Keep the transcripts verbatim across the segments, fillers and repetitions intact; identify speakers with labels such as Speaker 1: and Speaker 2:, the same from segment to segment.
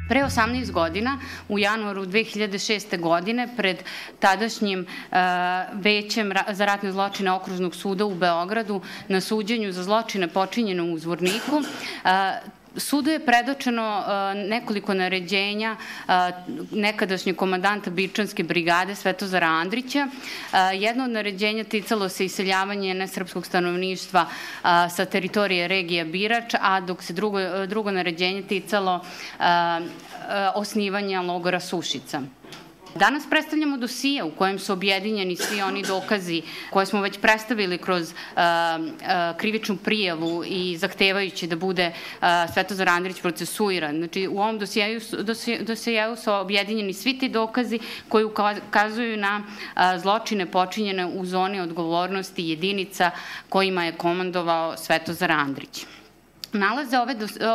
Speaker 1: Pre osamnaest godina, u januaru dve hiljade šeste. godine, pred tadašnjim Većem za ratne zločine Okružnog suda u Beogradu na suđenju za zločine počinjene u Zvorniku, sudu je predočeno nekoliko naređenja nekadašnjeg komandanta Birčanske brigade Svetozara Andrića. Jedno od naređenja ticalo se iseljavanje nesrpskog stanovništva sa teritorije regije Birač, a dok se drugo, drugo naređenje ticalo osnivanja logora Sušica. Danas predstavljamo dosije u kojem su objedinjeni svi oni dokazi koje smo već predstavili kroz uh, uh, krivičnu prijavu i zahtevajući da bude uh, Svetozar Andrić procesuiran. Znači, u ovom dosijeju, dosijeju su objedinjeni svi ti dokazi koji ukazuju na uh, zločine počinjene u zoni odgovornosti jedinica kojima je komandovao Svetozar Andrić. Nalaze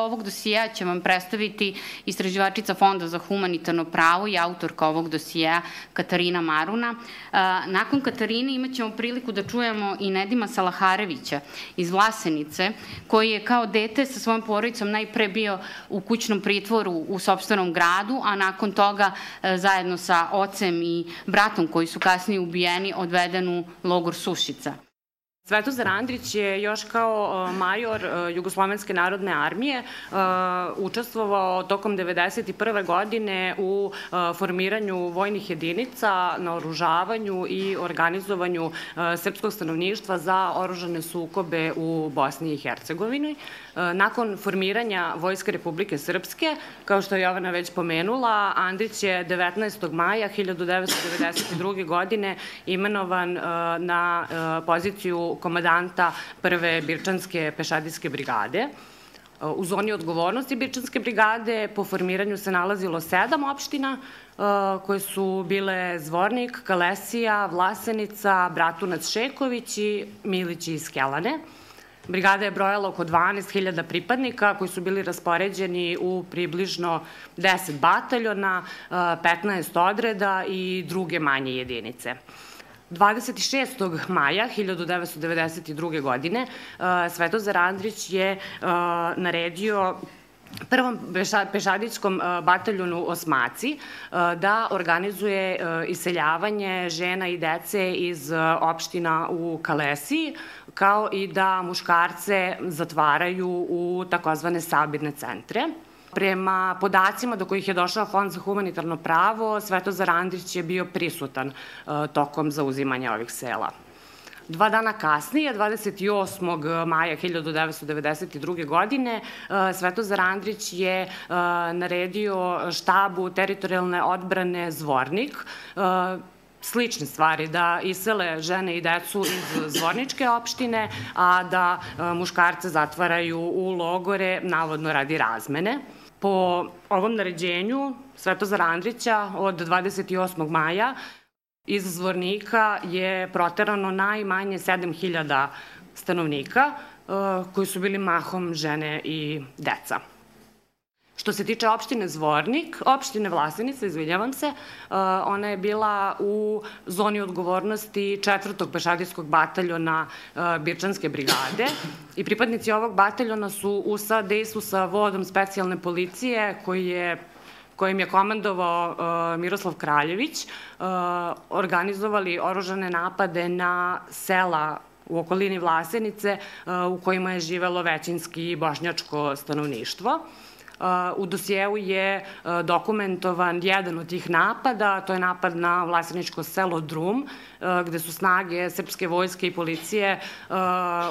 Speaker 1: ovog dosijeja će vam predstaviti istraživačica Fonda za humanitarno pravo i autorka ovog dosijeja Katarina Maruna. Nakon Katarine imat ćemo priliku da čujemo i Nedima Salaharevića iz Vlasenice, koji je kao dete sa svojom porodicom najpre bio u kućnom pritvoru u sopstvenom gradu, a nakon toga zajedno sa ocem i bratom koji su kasnije ubijeni odveden u logor Sušica.
Speaker 2: Svetozar Andrić je još kao major Jugoslovenske narodne armije učestvovao tokom devedeset prve. godine u formiranju vojnih jedinica, naoružavanju i organizovanju srpskog stanovništva za oružane sukobe u Bosni i Hercegovini. Nakon formiranja Vojske Republike Srpske, kao što je Jovana već pomenula, Andrić je devetnaestog maja hiljadu devetsto devedeset druge. godine imenovan na poziciju komandanta prve Birčanske pešadijske brigade. U zoni odgovornosti Birčanske brigade po formiranju se nalazilo sedam opština koje su bile Zvornik, Kalesija, Vlasenica, Bratunac, Šeković i Milići iz Kelane. Brigada je brojala oko dvanaest hiljada pripadnika koji su bili raspoređeni u približno deset bataljona, petnaest odreda i druge manje jedinice. dvadeset šestog maja hiljadu devetsto devedeset druge. godine Svetozar Andrić je naredio prvom pešadijskom bataljonu Osmaci da organizuje iseljavanje žena i dece iz opština u Kalesiji, kao i da muškarce zatvaraju u takozvane sabirne centre. Prema podacima do kojih je došao Fond za humanitarno pravo, Svetozar Andrić je bio prisutan tokom zauzimanja ovih sela. Dva dana kasnije, dvadeset osmog maja hiljadu devetsto devedeset druge. godine, Svetozar Andrić je naredio štabu teritorijalne odbrane Zvornik slične stvari, da isele žene i decu iz Zvorničke opštine, a da muškarce zatvaraju u logore, navodno radi razmene. Po ovom naređenju Svetozara Andrića od dvadeset osmog maja iz Zvornika je proterano najmanje sedam hiljada stanovnika, koji su bili mahom žene i deca. Što se tiče opštine Zvornik, opštine Vlasenica, izvinjavam se, ona je bila u zoni odgovornosti četvrtog pešadijskog bataljona Birčanske brigade i pripadnici ovog bataljona su u sadejstvu sa vodom specijalne policije koji je kojim je komandovao Miroslav Kraljević, organizovali oružane napade na sela u okolini Vlasenice u kojima je živelo većinski bošnjačko stanovništvo. U dosijevu je dokumentovan jedan od tih napada, to je napad na vlaseničko selo Drum, gde su snage srpske vojske i policije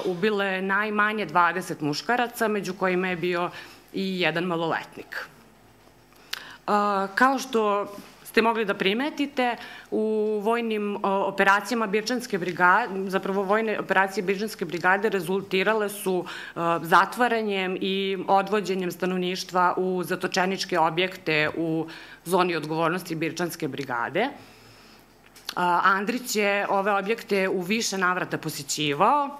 Speaker 2: ubile najmanje dvadeset muškaraca, među kojima je bio i jedan maloletnik. Kao što ste mogli da primetite, u vojnim operacijama Birčanske brigade, zapravo vojne operacije Birčanske brigade rezultirale su zatvaranjem i odvođenjem stanovništva u zatočeničke objekte u zoni odgovornosti Birčanske brigade. Andrić je ove objekte u više navrata posjećivao.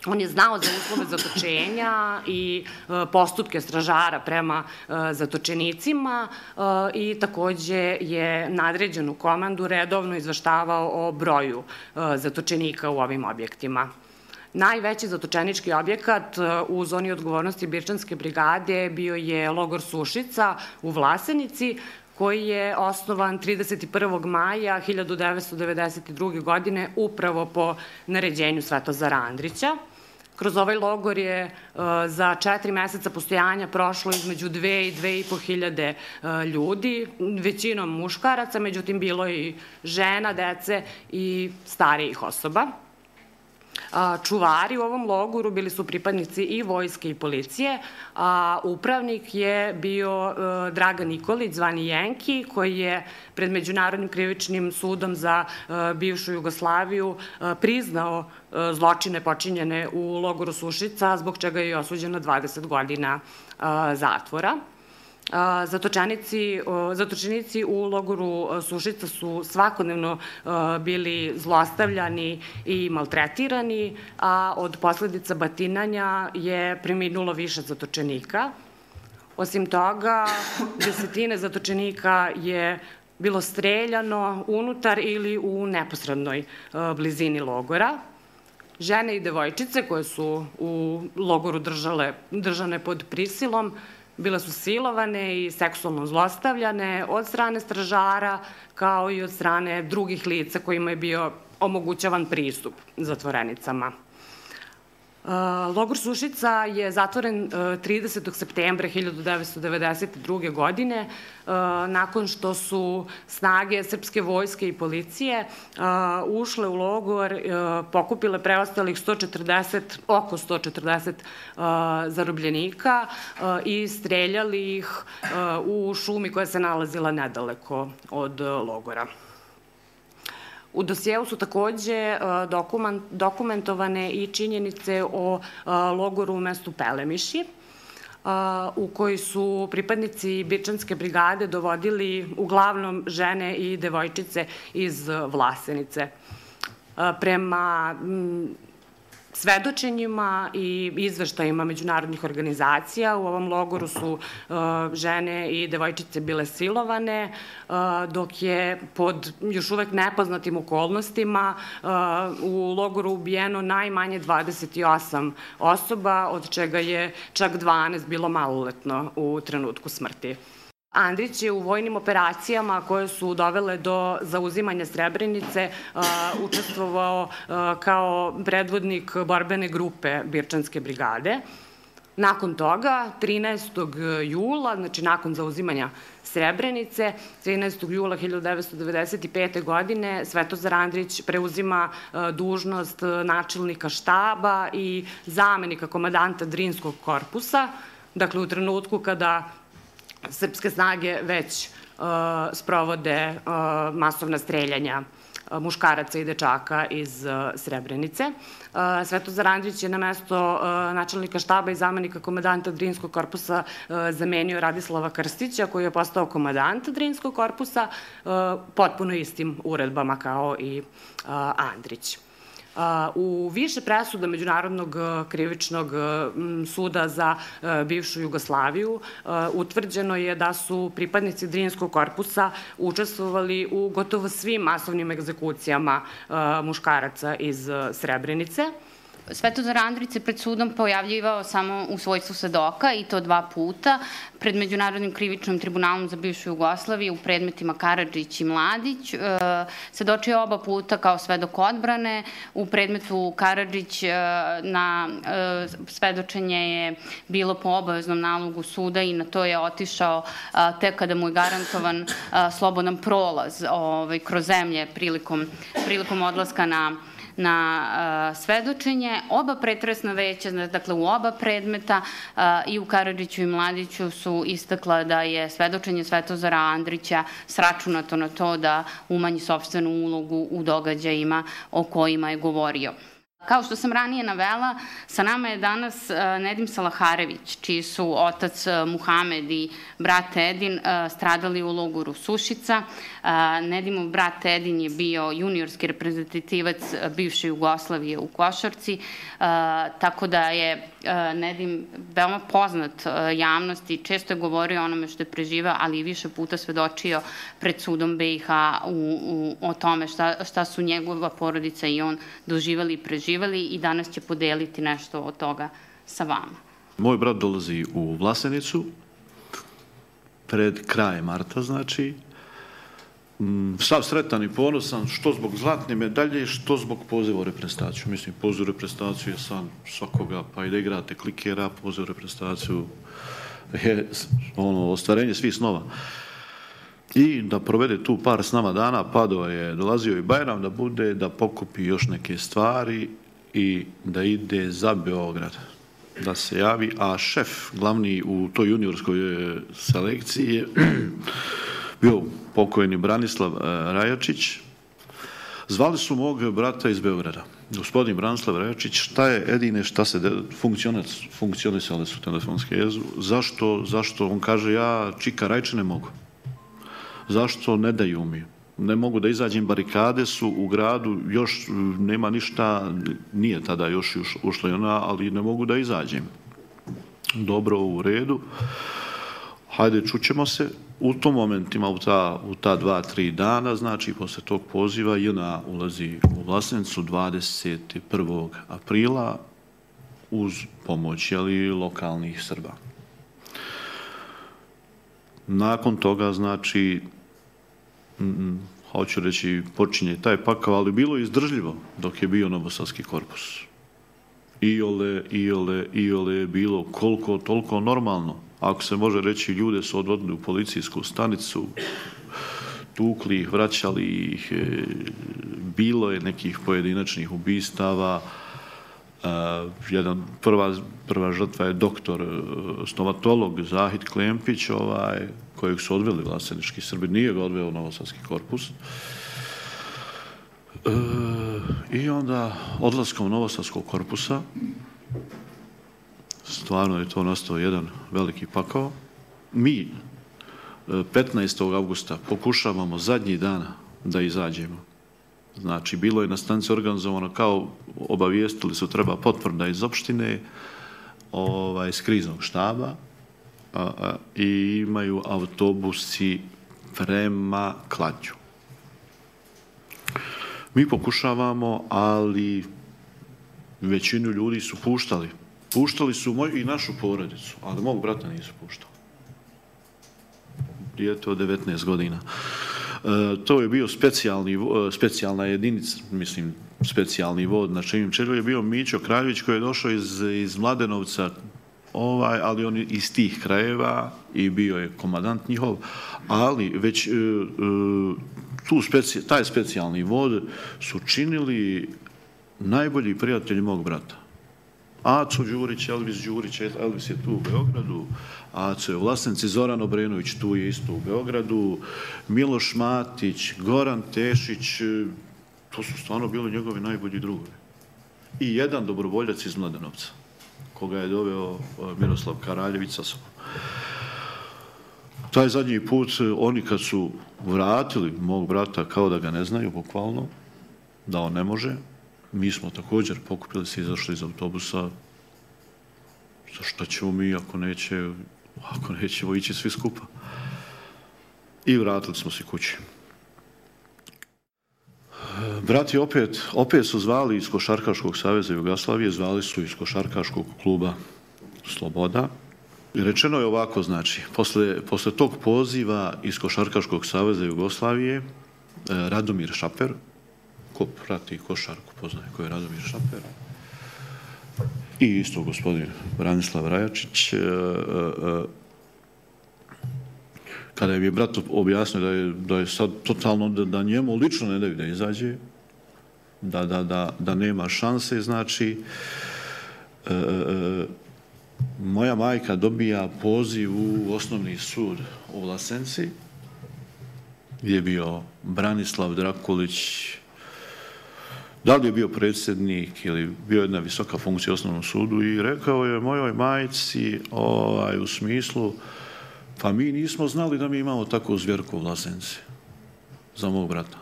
Speaker 2: On je znao za uslove zatočenja i postupke stražara prema zatočenicima i takođe je nadređenu komandu redovno izveštavao o broju zatočenika u ovim objektima. Najveći zatočenički objekat u zoni odgovornosti Birčanske brigade bio je logor Sušica u Vlasenici, koji je osnovan trideset prvog maja hiljadu devetsto devedeset druge. godine upravo po naređenju Svetozara Andrića. Kroz ovaj logor je za četiri meseca postojanja prošlo između dve i dve i po hiljade ljudi, većinom muškaraca, međutim bilo je i žena, dece i starijih osoba. Čuvari u ovom logoru bili su pripadnici i vojske i policije, a upravnik je bio Dragan Nikolić, zvani Jenki, koji je pred Međunarodnim krivičnim sudom za bivšu Jugoslaviju priznao zločine počinjene u logoru Sušica, zbog čega je osuđen na dvadeset godina zatvora. Zatočenici u logoru Sušica su svakodnevno bili zlostavljani i maltretirani, a od posledica batinanja je preminulo više zatočenika. Osim toga, desetine zatočenika je bilo streljano unutar ili u neposrednoj blizini logora. Žene i devojčice koje su u logoru držane pod prisilom bile su silovane i seksualno zlostavljane od strane stražara, kao i od strane drugih lica kojima je bio omogućavan pristup zatvorenicama. Logor Sušica je zatvoren tridesetog septembra hiljadu devetsto devedeset druge. godine, nakon što su snage srpske vojske i policije ušle u logor, pokupile preostalih oko sto četrdeset zarobljenika i streljali ih u šumi koja se nalazila nedaleko od logora. U dosjeu su takođe dokumentovane i činjenice o logoru u mestu Pelemiši, u koji su pripadnici Birčanske brigade dovodili uglavnom žene i devojčice iz Vlasenice. Prema svedočenjima i izveštajima međunarodnih organizacija u ovom logoru su žene i devojčice bile silovane, dok je pod još uvek nepoznatim okolnostima u logoru ubijeno najmanje dvadeset osam osoba, od čega je čak dvanaest bilo maloletno u trenutku smrti. Andrić je u vojnim operacijama koje su dovele do zauzimanja Srebrenice učestvovao kao predvodnik borbene grupe Birčanske brigade. Nakon toga, trinaestog jula, znači nakon zauzimanja Srebrenice, trinaestog jula hiljadu devetsto devedeset pete. godine, Svetozar Andrić preuzima dužnost načelnika štaba i zamenika komadanta Drinskog korpusa, dakle u trenutku kada srpske snage već sprovode masovna streljanja muškaraca i dečaka iz Srebrenice. Svetozar Andrić je na mesto načelnika štaba i zamenika komadanta Drinskog korpusa zamenio Radislava Krstića, koji je postao komadant Drinskog korpusa, potpuno istim uredbama kao i Andrić. U više presuda Međunarodnog krivičnog suda za bivšu Jugoslaviju utvrđeno je da su pripadnici Drinskog korpusa učestvovali u gotovo svim masovnim egzekucijama muškaraca iz Srebrenice.
Speaker 1: Svetozar Andrić se pred sudom pojavljivao samo u svojstvu svedoka i to dva puta, pred Međunarodnim krivičnim tribunalom za bivšu Jugoslaviju u predmetima Karadžić i Mladić. Svedočio oba puta kao svedok odbrane. U predmetu Karadžić na svedočenje je bilo po obaveznom nalogu suda i na to je otišao tek kada mu je garantovan slobodan prolaz kroz zemlje prilikom odlaska na na svedočenje. Oba pretresna veća, dakle u oba predmeta i u Karadžiću i Mladiću su istakla da je svedočenje Svetozara Andrića sračunato na to da umanji sopstvenu ulogu u događajima o kojima je govorio. Kao što sam ranije navela, sa nama je danas Nedim Salaharević, čiji su otac Muhamed i brat Edin stradali u logoru Sušica. Nedimov brat Edin je bio juniorski reprezentativac bivše Jugoslavije u košarci, tako da je Nedim veoma poznat javnosti, često je govorio o onome što je preživao, ali i više puta svedočio pred sudom be i ha o tome šta su njegova porodica i on doživali i preživali i danas će podeliti nešto od toga sa vama.
Speaker 3: Moj brat dolazi u Vlasenicu pred kraj marta, znači. Sav sretan i ponosan, što zbog zlatne medalje, što zbog poziva u reprezentaciju. Mislim, poziv u reprezentaciju je san svakoga, pa i da igrate klikera, poziv u reprezentaciju je ostvarenje svih snova. I da provede tu par s nama dana, Padova je dolazio i Bajram da bude, da pokupi još neke stvari i da ide za Beograd, da se javi, a šef glavni u toj juniorskoj selekciji je bio pokojni Branislav Rajačić. Zvali su mog brata iz Beograda, gospodin Branislav Rajačić, šta je Edine, šta se funkcionisale su telefonske jezu, zašto, zašto, on kaže, ja čika Rajče ne mogu. Zašto ne daju mi? Ne mogu da izađem, barikade su u gradu, još nema ništa, nije tada još ušla i ona, ali ne mogu da izađem. Dobro, u redu. Hajde, čućemo se. U tom momentima, u ta, u ta dva, tri dana, znači, posle tog poziva, J N A ulazi u Vlasenicu dvadeset prvog aprila uz pomoć, jeli, lokalnih Srba. Nakon toga, znači, mm, hoću reći, počinje taj pakao, ali bilo je izdržljivo dok je bio Novosadski korpus. Iole, iole, iole je bilo koliko, toliko normalno. Ako se može reći, ljude su odvodili u policijsku stanicu, tukli ih, vraćali ih, bilo je nekih pojedinačnih ubistava. Jedan, prva, prva žrtva je doktor, stomatolog Zahid Klempić, ovaj, kojeg su odveli vlasenički Srbi, nije ga odveo Novosadski korpus. E, I onda odlaskom Novosadskog korpusa, stvarno je to nastao jedan veliki pakao. Mi petnaestog avgusta pokušavamo zadnji dana da izađemo. Znači, bilo je na stanici organizovano kao obavijestili su treba potvrda iz opštine, ovaj, iz kriznog štaba a, a, i imaju autobusi prema Kladnju. Mi pokušavamo, ali većinu ljudi su puštali. Puštali su moju i našu porodicu, ali mog brata nisu puštali. Dijete od devetnaest godina. To je bio specijalni, specijalna jedinica, mislim, specijalni vod, na čijem čelu je bio Mićo Kraljević koji je došao iz, iz Mladenovca, ovaj, ali on iz tih krajeva i bio je komandant njihov, ali već tu speci, taj specijalni vod su činili najbolji prijatelji mog brata. Aco Đurić, Elvis Đurić, Elvis je tu u Beogradu, Aco je u Vlasenici, Zoran Obrenović tu je isto u Beogradu, Miloš Matić, Goran Tešić, to su stvarno bili njegovi najbolji drugovi. I jedan dobrovoljac iz Mladenovca, koga je doveo Miroslav Karaljević sa sobom. Taj zadnji put, oni kad su vratili mog brata kao da ga ne znaju, bukvalno, da on ne može, mi smo također pokupili se i izašli iz autobusa. Zašto ćemo mi ako neće, ako nećemo ići svi skupa? I vratili smo se kući. Brati opet, opet su zvali iz Košarkaškog saveza Jugoslavije, zvali su iz Košarkaškog kluba Sloboda. I rečeno je ovako, znači, posle, posle tog poziva iz Košarkaškog saveza Jugoslavije, Radomir Šaper, ko prati košarku, poznaje ko je Radomir Šaper, i isto gospodin Branislav Rajačić, kada je mi brat objasnio da je, da je sad totalno, da, da njemu lično ne daju da izađe, da, da, da, da nema šanse, znači, e, e, moja majka dobija poziv u osnovni sud u Vlasenci, gdje je bio Branislav Drakulić, da li je bio predsjednik ili bio jedna visoka funkcija u osnovnom sudu i rekao je mojoj majci ovaj, u smislu, pa mi nismo znali da mi imamo takvu zvjerku u Vlasenci za mog brata.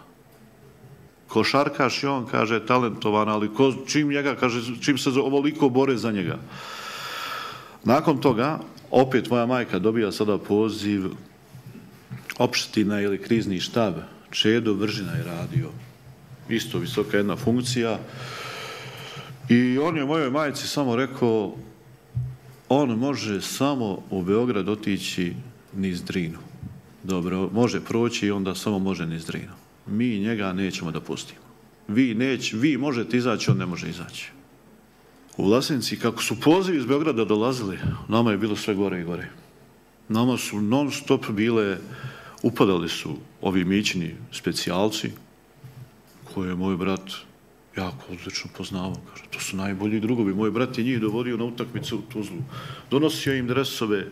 Speaker 3: Košarkaš i on, kaže, talentovan, ali ko, čim njega, kaže, čim se ovoliko bore za njega. Nakon toga, opet moja majka dobija sada poziv opština ili krizni štab. Čedo Vržina je radio. Isto visoka jedna funkcija. I on je mojoj majci samo rekao, on može samo u Beograd otići niz Drinu. Dobro, može proći i onda samo može niz Drinu. Mi njega nećemo da pustimo. Vi, neć, vi možete izaći, on ne može izaći. U Vlasenci, kako su pozivi iz Beograda dolazili, nama je bilo sve gore i gore. Nama su non stop bile, upadali su ovi mićini specijalci, koje je moj brat jako odlično poznavao. Kaže, to su najbolji drugovi. Moj brat je njih dovodio na utakmicu u Tuzlu. Donosio im dresove,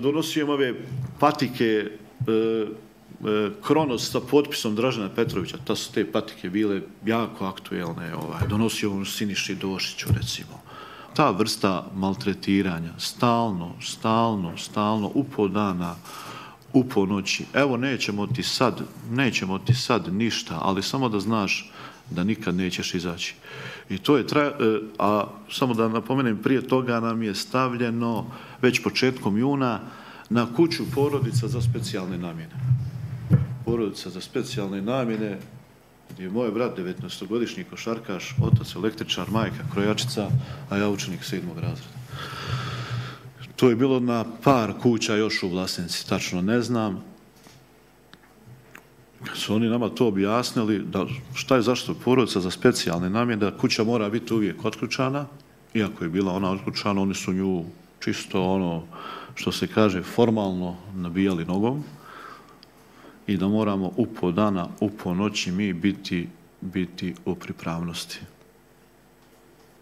Speaker 3: donosio im ove patike, Kronos sa potpisom Dražena Petrovića. Ta su te patike bile jako aktuelne. Ovaj. Donosio on Siniši Došiću, recimo. Ta vrsta maltretiranja, stalno, stalno, stalno, upo dana, upo noći. Evo, nećemo ti sad, nećemo ti sad ništa, ali samo da znaš da nikad nećeš izaći. I to je, tra... a samo da napomenem, prije toga nam je stavljeno već početkom juna na kuću porodica za specijalne namjene. Porodica za specijalne namjene, gdje je moj brat devetnaestogodišnji košarkaš, otac električar, majka krojačica, a ja učenik sedmog razreda. To je bilo na par kuća još u Vlasenci, tačno ne znam. Kad su oni nama to objasnili, da šta je zašto porodica za specijalne namjene, da kuća mora biti uvijek otključana, iako je bila ona otključana, oni su nju čisto ono, što se kaže, formalno nabijali nogom i da moramo upo dana, upo noći mi biti, biti u pripravnosti.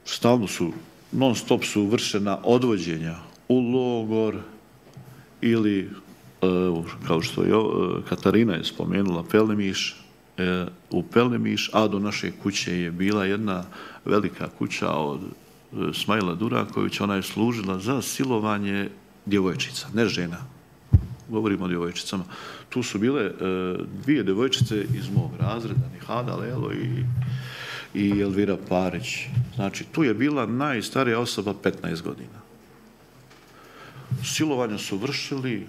Speaker 3: Stalno su, non stop su vršena odvođenja u logor ili, kao što je Katarina je spomenula, Pelemiš, u Pelemiš, a do naše kuće je bila jedna velika kuća od Smajla Durakovića, ona je služila za silovanje djevojčica, ne žena. Govorimo o djevojčicama. Tu su bile dvije djevojčice iz mog razreda, Nihada Lelo i, i Elvira Parić. Znači, tu je bila najstarija osoba petnaest godina. Silovanja su vršili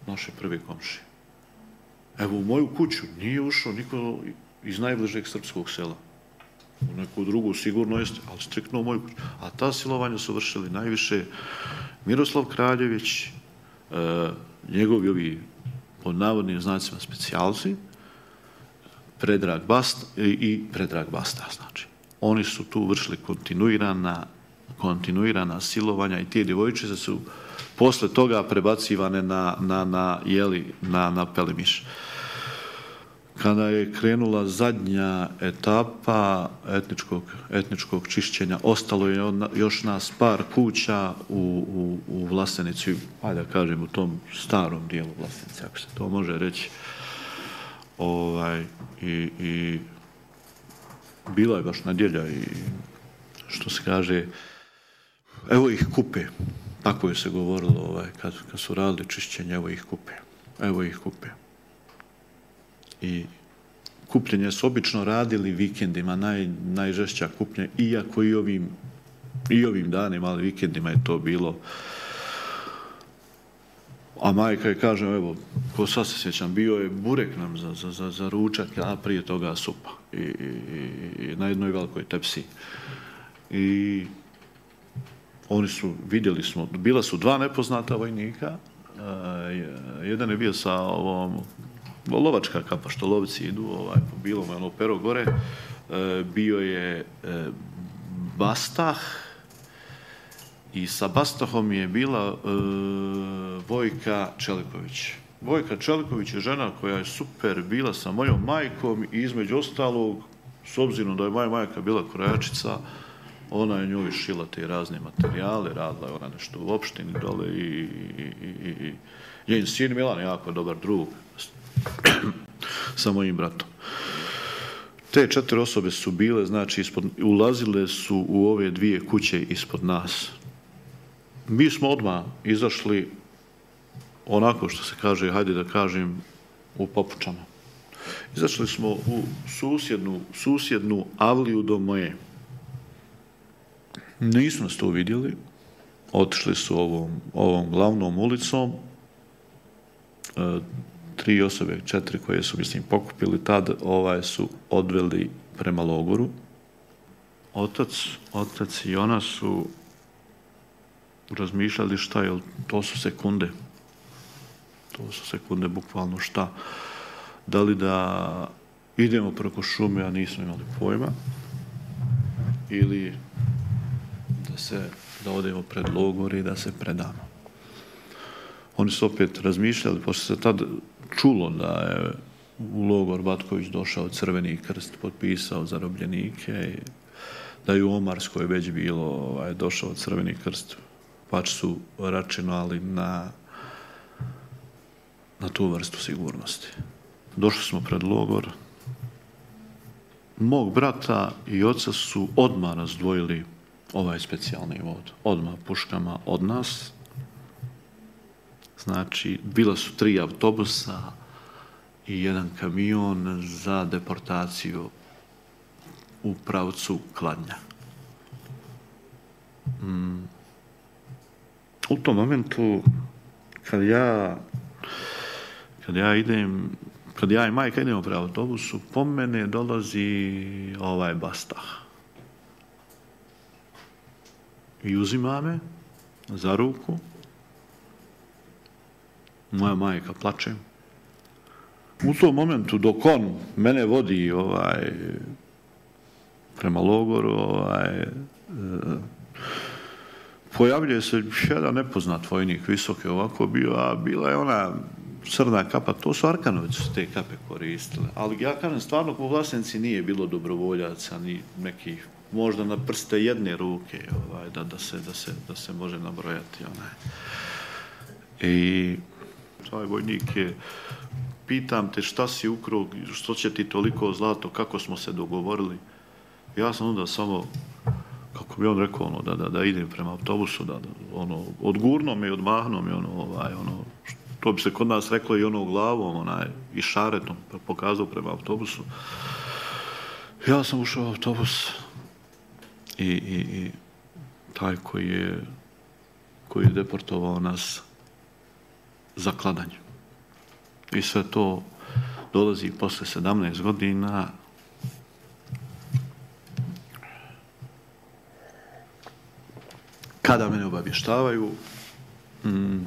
Speaker 3: naše prve komšije. Evo, u moju kuću nije ušao niko iz najbližeg srpskog sela. U neku drugu sigurno jeste, ali striktno u moju kuću. A ta silovanja su vršili najviše Miroslav Kraljević, e, njegovi ovi pod navodnim znacima specijalci, Predrag Basta i, i Predrag Basta, znači. Oni su tu vršili kontinuirana, kontinuirana silovanja i te djevojčice su posle toga prebacivane na, na, na, jeli, na, na Pelemiš. Kada je krenula zadnja etapa etničkog, etničkog čišćenja, ostalo je još nas par kuća u, u, u Vlasenici, ajde da kažem, u tom starom dijelu Vlasenice, ako se to može reći. Ovaj, i, i bila je baš nedjelja i, što se kaže, evo ih kupe. Tako je se govorilo ovaj, kad, kad su radili čišćenje, evo ih kupe. Evo ih kupe. I kupljenje su obično radili vikendima, naj, najžešća kupljenja, iako i ovim, i ovim danima, ali vikendima je to bilo. A majka je, kažem, evo, ko sad se sjećam, bio je burek nam za, za, za, za ručak, a prije toga supa. I, i, i na jednoj velikoj tepsi. I oni su, vidjeli smo, bila su dva nepoznata vojnika, jedan je bio sa ovom lovačka kapa, što lovci idu, ovaj, po bilom, ono, pero gore, bio je Bastah i sa Bastahom je bila Vojka Čeliković. Vojka Čeliković je žena koja je super bila sa mojom majkom i između ostalog, s obzirom da je moja majka bila krojačica, ona je njoj šila te razne materijale, radila je ona nešto u opštini dole i, i, i, i njen sin Milan je jako dobar drug sa mojim bratom. Te te četiri osobe su bile, znači, ispod, ulazile su u ove dvije kuće ispod nas. Mi smo odmah izašli onako što se kaže, hajde da kažem, u papučama. Izašli smo u susjednu, susjednu avliju do moje. Nisu nas to vidjeli. Otišli su ovom, ovom glavnom ulicom. E, tri osobe, četiri koje su, mislim, pokupili tad, ovaj su odveli prema logoru. Otac, otac i ona su razmišljali šta je, to su sekunde. To su sekunde, bukvalno šta. Da li da idemo preko šume, a nismo imali pojma, ili da se, da odemo pred logor i da se predamo. Oni su opet razmišljali, pošto se tad čulo da je u logor Batković došao Crveni krst, potpisao zarobljenike, da je u Omarskoj već bilo ovaj, došao Crveni krst, pač su računali na, na tu vrstu sigurnosti. Došli smo pred logor. Mog brata i oca su odmah razdvojili ovaj specijalni vod. Odmah puškama od nas. Znači, bila su tri autobusa i jedan kamion za deportaciju u pravcu Kladnja. Mm. U tom momentu, kad ja, kad ja idem, kad ja i majka idemo pre autobusu, po mene dolazi ovaj Bastah. I uzima me za ruku. Moja majka plače. U tom momentu, dok on mene vodi ovaj, prema logoru, ovaj, pojavljuje se jedan nepoznat vojnik, visoki ovako bio, a bila je ona crna kapa, to su Arkanovići su te kape koristile. Ali ja kažem, stvarno u Vlasenici nije bilo dobrovoljaca, ni nekih, možda na prste jedne ruke, ovaj, da, da, se, da, se, da se može nabrojati. Onaj. I taj vojnik je, pitam te šta si ukrao, što će ti toliko zlato, kako smo se dogovorili. Ja sam onda samo, kako bi on rekao, ono, da, da, da idem prema autobusu, da, da ono, odgurno me i odmahno me, ono, ovaj, ono, to bi se kod nas reklo i ono glavom, onaj, i šaretom pokazao prema autobusu. Ja sam ušao u autobus i, i, i taj koji je, koji je deportovao nas za Kladanj. I sve to dolazi posle sedamnaest godina. Kada mene obavještavaju, mm, e,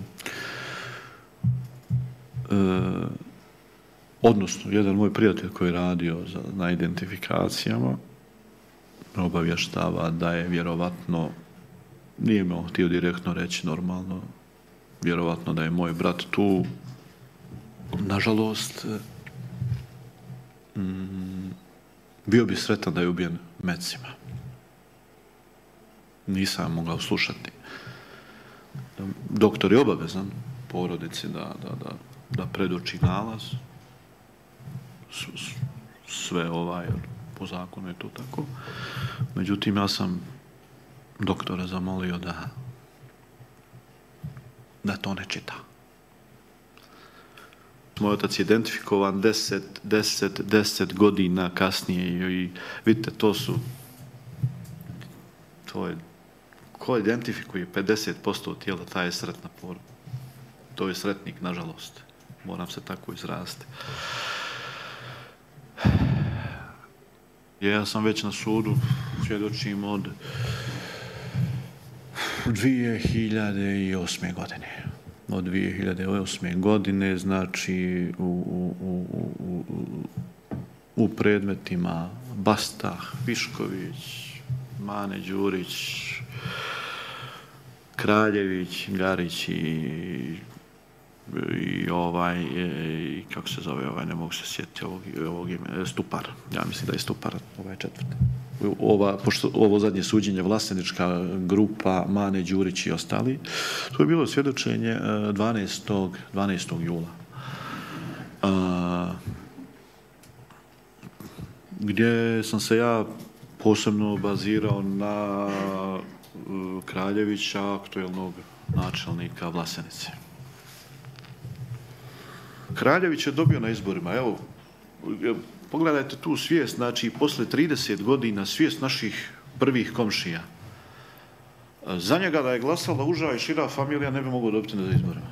Speaker 3: odnosno, jedan moj prijatelj koji je radio za, na identifikacijama, me obavještava da je vjerovatno, nije me htio direktno reći normalno, vjerovatno da je moj brat tu. Nažalost, mm, bio bi sretan da je ubijen mecima. Nisam mogao slušati. Doktor je obavezan porodici da, da, da, da predoči nalaz. Sve ovaj, po zakonu je to tako. Međutim, ja sam doktora zamolio da da to ne čita. Moj otac je identifikovan deset, deset, deset godina kasnije i, i vidite, to su to je ko identifikuje pedeset posto tijela, taj je sretna porodica. To je sretnik, nažalost. Moram se tako izraziti. Ja sam već na sudu, svjedočim od dvije hiljade osme godine. Od dvije hiljade osme godine, znači u, u, u, u, u predmetima Bastah, Višković, Mane Đurić, Kraljević, Garić i, i ovaj, i kako se zove, ovaj, ne mogu se sjetiti ovog, ovog ime, Stupar. Ja mislim da je Stupar, ovaj četvrti. Ova, pošto ovo zadnje suđenje, vlasnička grupa, Mane, Đurić i ostali, to je bilo svjedočenje dvanaestog jula. gdje sam se ja posebno bazirao na Kraljevića, aktuelnog načelnika Vlasenice. Kraljević je dobio na izborima, evo, pogledajte tu svijest, znači, posle trideset godina svijest naših prvih komšija. Za njega da je glasala uža i šira familija ne bi mogao dobiti na izborima.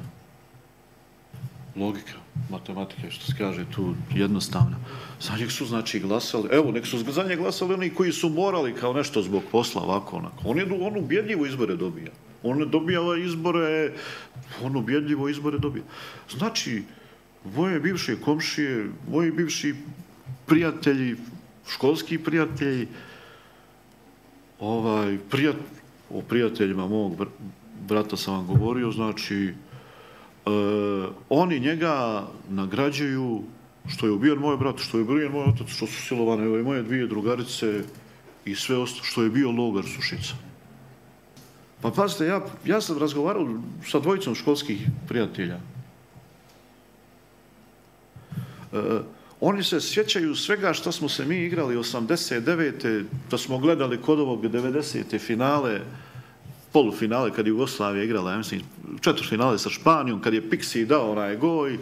Speaker 3: Logika, matematika, što se kaže tu jednostavno. Za njeg su, znači, glasali, evo, nek su za njeg glasali oni koji su morali kao nešto zbog posla, ovako, onako. On je on ubjedljivo izbore dobija. On ne dobija izbore, on ubjedljivo izbore dobija. Znači, moje bivše komšije, moji bivši prijatelji, školski prijatelji, ovaj, prijat, o prijateljima mog brata sam vam govorio, znači, e, oni njega nagrađuju što je ubijen moj brat, što je ubijen moj otac, što su silovane ove moje dvije drugarice i sve ostalo, što je bio logar Sušica. Pa pazite, ja, ja sam razgovarao sa dvojicom školskih prijatelja. E, oni se sjećaju svega što smo se mi igrali osamdeset devete da smo gledali kod ovog devedesete finale, polufinale kad je Jugoslavija igrala, ja mislim, četvrtfinale sa Španijom, kad je Pixi dao onaj goj.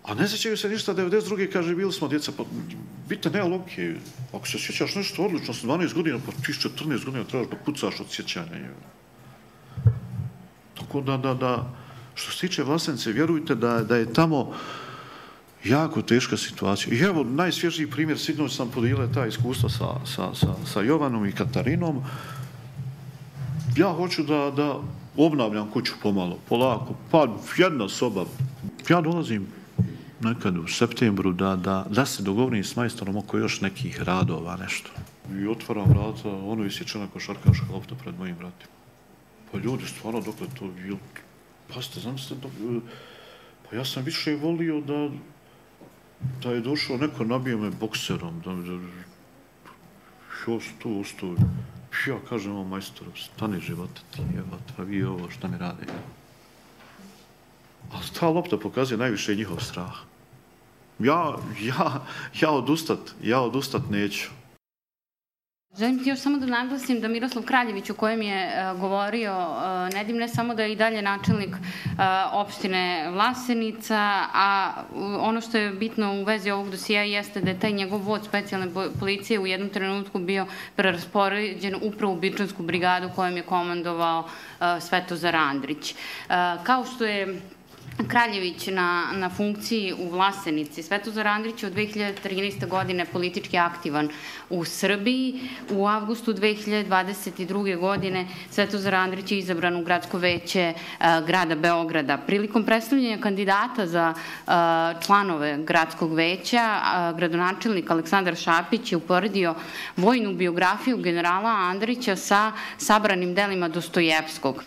Speaker 3: A ne sjećaju se ništa, devedeset druge kaže, bili smo djeca, pa vidite, nema logike. Ako se sjećaš nešto odlično, sa dvanaest godina, pa ti četrnaest godina trebaš da pucaš od sjećanja. Tako da, da, da, što se tiče Vlasenice, vjerujte da, da je tamo jako teška situacija. I evo, najsvježiji primjer, sinoć sam podijelio ta iskustva sa, sa, sa, sa Jovanom i Katarinom. Ja hoću da, da obnavljam kuću pomalo, polako. Pa jedna soba. Ja dolazim nekad u septembru da, da, da se dogovorim s majstorom oko još nekih radova, nešto. I otvaram vrata, ono isječena košarkaška lopta pred mojim vratima. Pa ljudi, stvarno, dokle to bilo... Pazite, znam se, dok... pa ja sam više volio da da je došao neko, nabio me bokserom, da mi ja sam tu ostao. Ja kažem ovom majstoru, stani života ti, evo, pa vi ovo, šta mi rade? Ali ta lopta pokazuje najviše njihov strah. Ja, ja, ja odustat, ja odustat neću.
Speaker 1: Želim ti još samo da naglasim da Miroslav Kraljević, o kojem je uh, govorio uh, Nedim, ne samo da je i dalje načelnik uh, opštine Vlasenica, a uh, ono što je bitno u vezi ovog dosija jeste da je taj njegov vod specijalne policije u jednom trenutku bio preraspoređen upravo u Bičansku brigadu kojom je komandovao uh, Svetozar Andrić. Uh, kao što je Kraljević na, na funkciji u Vlasenici, Svetozar Andrić je od dve hiljade trinaeste. godine politički aktivan u Srbiji. U avgustu dve hiljade dvadeset druge. godine Svetozar Andrić je izabran u gradsko veće uh, grada Beograda. Prilikom predstavljanja kandidata za uh, članove gradskog veća, uh, gradonačelnik Aleksandar Šapić je uporedio vojnu biografiju generala Andrića sa sabranim delima Dostojevskog.